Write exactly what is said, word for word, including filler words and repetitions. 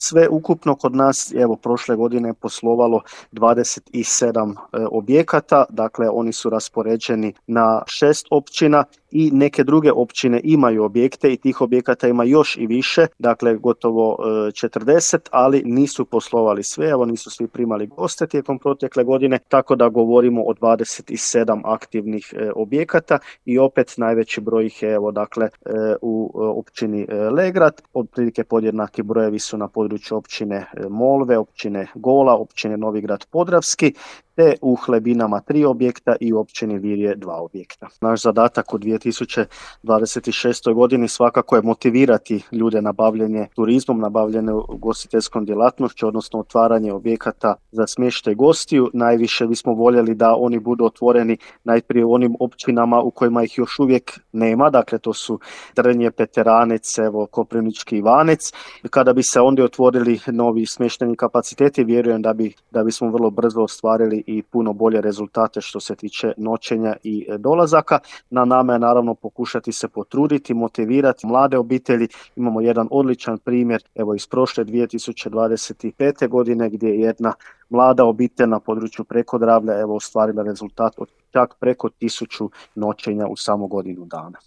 Sve ukupno kod nas, evo prošle godine je poslovalo dvadeset sedam e, objekata, dakle oni su raspoređeni na šest općina i neke druge općine imaju objekte i tih objekata ima još i više, dakle gotovo e, četrdeset, ali nisu poslovali sve, evo nisu svi primali goste tijekom protekle godine, tako da govorimo o dvadeset sedam aktivnih e, objekata i opet najveći broj ih je evo dakle e, u e, općini e, Legrad, otprilike podjednaki brojevi su na području općine Molve, općine Gola, općine Novigrad Podravski, te u Hlebinama tri objekta i u općini Virje dva objekta. Naš zadatak u dvije tisuće dvadeset šestoj godini svakako je motivirati ljude na bavljenje turizmom, na bavljenje ugostiteljskom djelatnošću, odnosno otvaranje objekata za smještaj gostiju. Najviše bismo voljeli da oni budu otvoreni najprije u onim općinama u kojima ih još uvijek nema, dakle to su Trnje, Peteranec, evo Koprivnički Ivanec. Kada bi se onda otvorili novi smještajni kapaciteti, vjerujem da bi da bismo vrlo brzo ostvarili i puno bolje rezultate što se tiče noćenja i dolazaka. Na nama je naravno pokušati se potruditi, motivirati mlade obitelji. Imamo jedan odličan primjer evo iz prošle dvije tisuće dvadeset pete godine gdje je jedna mlada obitelj na području Prekodravlja evo ostvarila rezultat od čak preko tisuću noćenja u samo godinu dana.